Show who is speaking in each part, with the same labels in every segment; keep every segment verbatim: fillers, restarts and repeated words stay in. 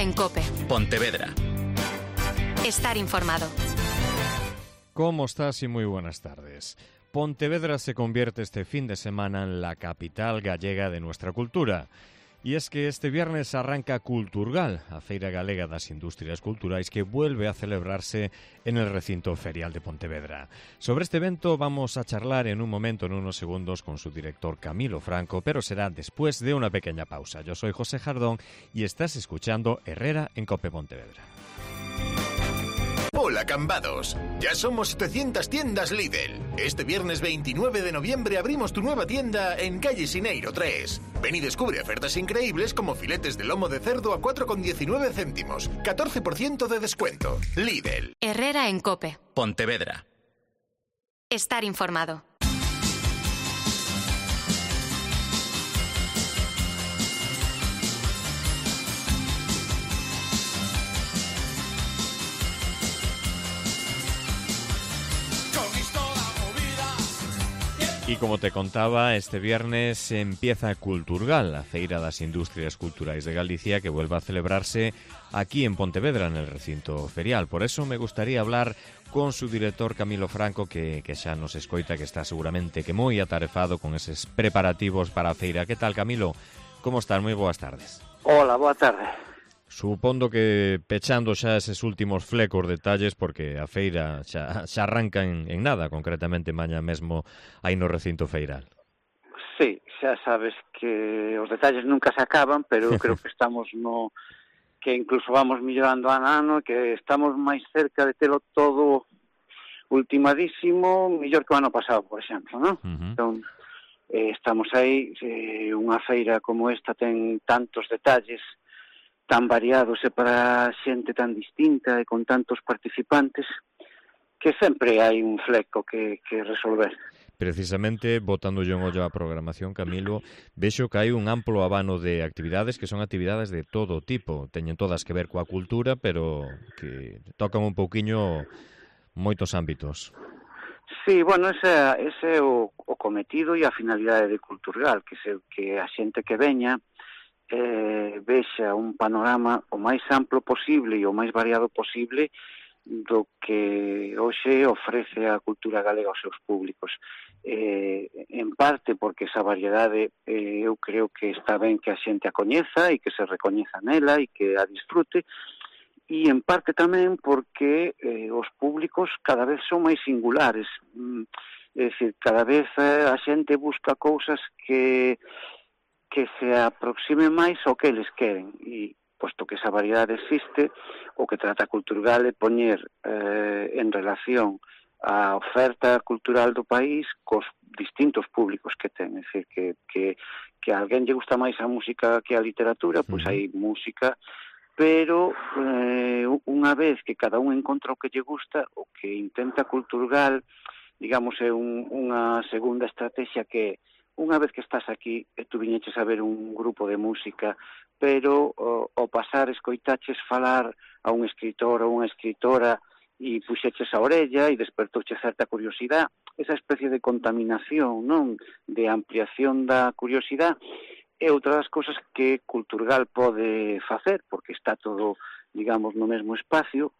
Speaker 1: Herrera en COPE.
Speaker 2: Pontevedra.
Speaker 1: Estar informado.
Speaker 3: ¿Cómo estás? Y muy buenas tardes. Pontevedra se convierte este fin de semana en la capital gallega de nuestra cultura. E es que este viernes arranca Culturgal, a Feira Galega das Industrias Culturais, que vuelve a celebrarse en el recinto ferial de Pontevedra. Sobre este evento vamos a charlar en un momento, en unos segundos, con su director Camilo Franco, pero será después de una pequeña pausa. Yo soy José Jardón y estás escuchando Herrera en COPE Pontevedra.
Speaker 4: Hola Cambados, ya somos setecientas tiendas Lidl. Este viernes veintinueve de noviembre abrimos tu nueva tienda en calle Sineiro tres. Ven y descubre ofertas increíbles como filetes de lomo de cerdo a cuatro con diecinueve céntimos, catorce por ciento de descuento. Lidl.
Speaker 1: Herrera en COPE.
Speaker 2: Pontevedra.
Speaker 1: Estar informado.
Speaker 3: Y como te contaba, este viernes empieza Culturgal, la Feira das Industrias Culturais de Galicia, que vuelve a celebrarse aquí en Pontevedra, en el recinto ferial. Por eso me gustaría hablar con su director Camilo Franco, que, que xa nos escoita, que está seguramente que moi atarefado con eses preparativos para a feira. Que tal, Camilo? Como estás? Moi boas tardes.
Speaker 5: Hola, boa tarde.
Speaker 3: Supondo que pechando xa eses últimos flecos detalles, porque a feira xa, xa arranca en, en nada, concretamente mañá mesmo aí no recinto feiral.
Speaker 5: Sí, xa sabes que os detalles nunca se acaban, pero creo que estamos no... que incluso vamos millorando ano a ano, que estamos máis cerca de telo todo ultimadísimo, mellor que o ano pasado, por exemplo, non? Uh-huh. Entón, eh, estamos aí, eh, unha feira como esta ten tantos detalles tan variados e para xente tan distinta e con tantos participantes que sempre hai un fleco que, que resolver.
Speaker 3: Precisamente, botando yo en ollo a programación, Camilo, vexo que hai un amplo abano de actividades que son actividades de todo tipo. Teñen todas que ver coa cultura, pero que tocan un pouquiño moitos ámbitos.
Speaker 5: Sí, bueno, ese, ese é o, o cometido e a finalidade de Culturgal, que, se, que a xente que veña eh, vexa un panorama o máis amplo posible e o máis variado posible do que hoxe ofrece a cultura galega aos seus públicos. Eh, en parte porque esa variedade eh, eu creo que está ben que a xente a coñeza e que se recoñeza nela e que a disfrute, e en parte tamén porque eh, os públicos cada vez son máis singulares. Mm, é dicir, cada vez eh, a xente busca cousas que que se aproxime máis ao que eles queren, e posto que esa variedade existe, o que trata Culturgal é poñer eh, en relación a oferta cultural do país cos distintos públicos que ten. É dicir, que, que, que a alguén lle gusta máis a música que a literatura, pois hai música, pero eh, unha vez que cada un encontra o que lle gusta, o que intenta Culturgal, digamos, é un, unha segunda estrategia que unha vez que estás aquí, e tú viñeches a ver un grupo de música, pero o, o pasar escoitaches falar a un escritor ou unha escritora e puxeches a orella e despertouche certa curiosidade, esa especie de contaminación, non, de ampliación da curiosidade, é outra das cousas que Culturgal pode facer, porque está todo, digamos, no mesmo espacio,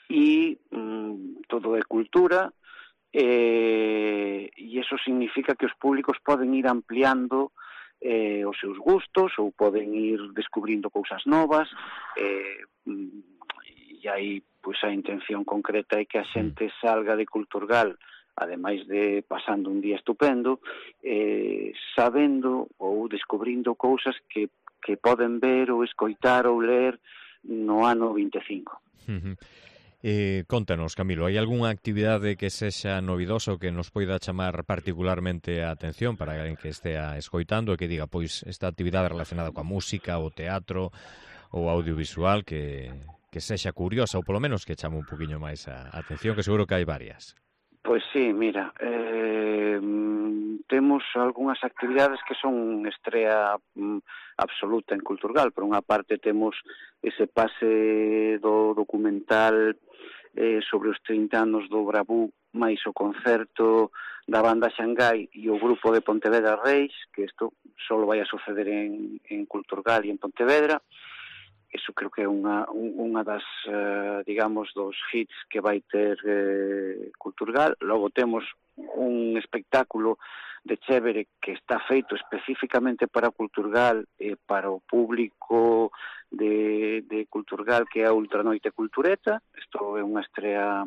Speaker 5: e mm, todo é cultura, Eh, e iso significa que os públicos poden ir ampliando eh, os seus gustos ou poden ir descubrindo cousas novas, eh, e aí pois a intención concreta é que a xente salga de Culturgal, ademais de pasando un día estupendo, eh, sabendo ou descubrindo cousas que, que poden ver ou escoitar ou ler no ano vinte e cinco.
Speaker 3: Uh-huh. Eh, contanos, Camilo, hai algunha actividade que sexa novidosa ou que nos poida chamar particularmente a atención para alguén que estea escoitando e que diga, pois, esta actividade relacionada coa música, o teatro ou audiovisual que, que sexa curiosa ou polo menos que chame un poquinho máis a atención, que seguro que hai varias?
Speaker 5: Pois sí, mira, eh, temos algunhas actividades que son estrea mm, absoluta en Culturgal. Por unha parte temos ese pase do documental eh, sobre os trinta anos do Bravú, máis o concerto da banda Xangai e o grupo de Pontevedra Reis, que isto só vai a suceder en, en Culturgal e en Pontevedra. eso creo que é unha, unha das, uh, digamos, dos hits que vai ter eh, Culturgal. Logo temos un espectáculo de chévere que está feito especificamente para Culturgal e para o público de, de Culturgal, que é a Ultranoite Cultureta. Isto é unha estrea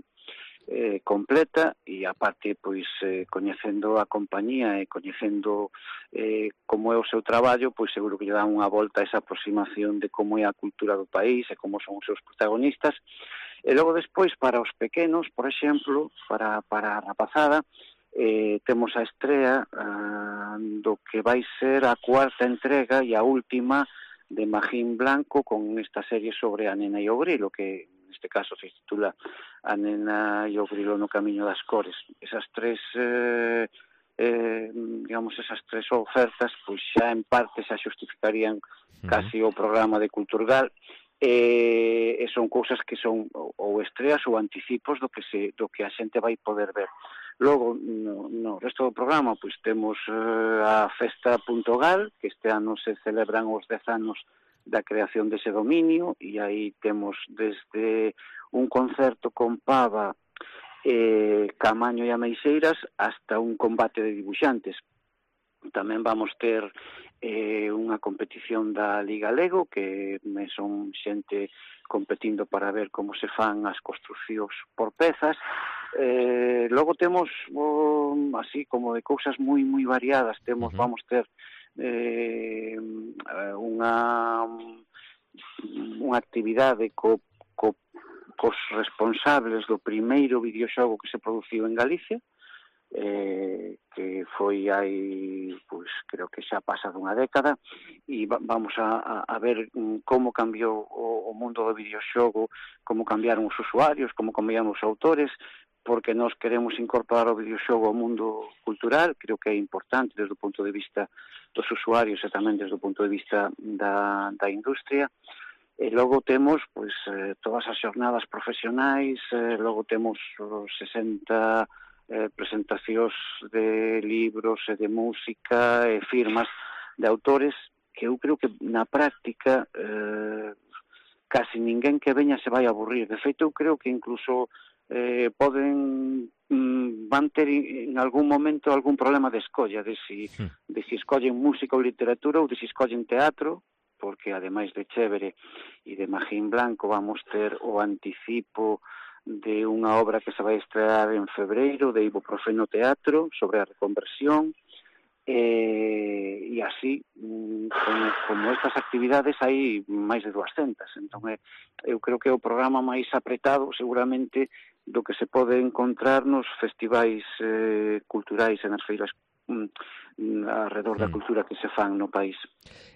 Speaker 5: eh, completa, e aparte, pois, eh, coñecendo a compañía e coñecendo eh, como é o seu traballo, pois seguro que lle dan unha volta a esa aproximación de como é a cultura do país e como son os seus protagonistas. E logo despois, para os pequenos, por exemplo, para, para a rapazada, eh, temos a estrea ah, do que vai ser a cuarta entrega e a última de Magín Blanco, con esta serie sobre a nena e o grilo, que neste caso se titula A nena e o grilo no camiño das cores. Esas tres eh, eh, digamos, esas tres ofertas pois xa en parte xa xustificarían uh-huh. casi o programa de Culturgal, e, e son cousas que son ou estreas ou anticipos do que se do que a xente vai poder ver. Logo, no, no resto do programa, pois temos eh, a Festa Punto Gal, que este ano se celebran os dez anos da creación dese dominio, e aí temos desde un concerto con pava, eh, Camaño e Ameixeiras, hasta un combate de dibuixantes. Tamén vamos ter eh, unha competición da Liga Lego, que me son xente competindo para ver como se fan as construcións por pezas. Eh, logo temos, oh, así como de cousas moi moi variadas, temos, uh-huh. vamos ter eh, unha unha actividade co, co, cos responsables do primeiro videoxogo que se produciu en Galicia, eh, que foi hai, pois, creo que xa pasa dunha década, e va, vamos a, a, a ver como cambiou o, o mundo do videoxogo, como cambiaron os usuarios, como cambiaron os autores, porque nós queremos incorporar o videoxogo ao mundo cultural. Creo que é importante desde o punto de vista dos usuarios e tamén desde o punto de vista da, da industria. E logo temos pois eh, todas as xornadas profesionais, eh, logo temos os sesenta eh, presentacións de libros e de música e firmas de autores, que eu creo que na práctica eh, casi ninguén que veña se vai aburrir. De feito, eu creo que incluso Eh, poden mm, van ter en algún momento algún problema de escolla de si, de si escollen música ou literatura ou de si escollen teatro, porque ademais de chévere e de Magín Blanco vamos ter o anticipo de unha obra que se vai estrear en febreiro de Ibuprofeno Teatro sobre a reconversión, e, e así como, como estas actividades hai máis de duascentas. Entón eh, eu creo que é o programa máis apretado seguramente do que se pode encontrar nos festivais eh, culturais e nas feiras mm, alrededor da cultura que se fan no país.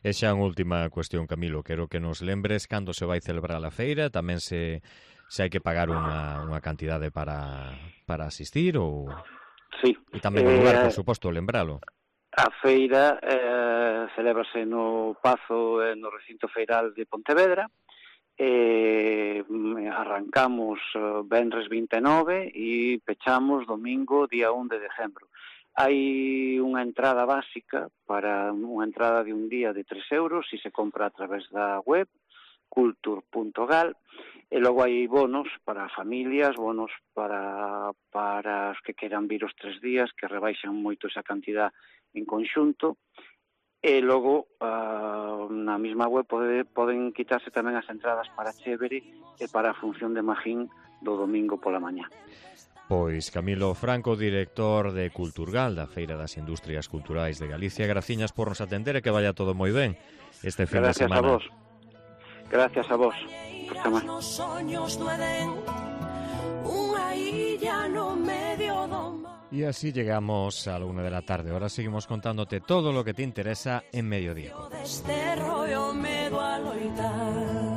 Speaker 3: E xa unha última cuestión, Camilo, quero que nos lembres cando se vai celebrar a feira, tamén se, se hai que pagar unha, unha cantidade para, para asistir, ou...
Speaker 5: Sí.
Speaker 3: E tamén o lugar, por suposto, lembralo.
Speaker 5: A feira eh, celébrase no Pazo, eh, no recinto feiral de Pontevedra. Eh, arrancamos eh, venres vinte e nove e pechamos domingo día un de decembro. Hai unha entrada básica para unha entrada de un día de tres euros se se compra a través da web cultur punto gal, e logo hai bonos para familias, bonos para, para os que queran vir os tres días, que rebaixan moito esa cantidad en conxunto. E logo uh, na mesma web pode, poden quitarse tamén as entradas para Chévere e para a función de Magín do domingo pola mañá.
Speaker 3: Pois Camilo Franco, director de Culturgal, da Feira das Industrias Culturais de Galicia, graciñas por nos atender e que vaya todo moi ben este fin
Speaker 5: Gracias
Speaker 3: de semana.
Speaker 5: A vos. Gracias a vos por chamar.
Speaker 2: Nos soños do Edén, unha illa no medio do mar.
Speaker 3: Y así llegamos a la una de la tarde. Ahora seguimos contándote todo lo que te interesa en Mediodía.
Speaker 2: Desterro yo me do a loitar.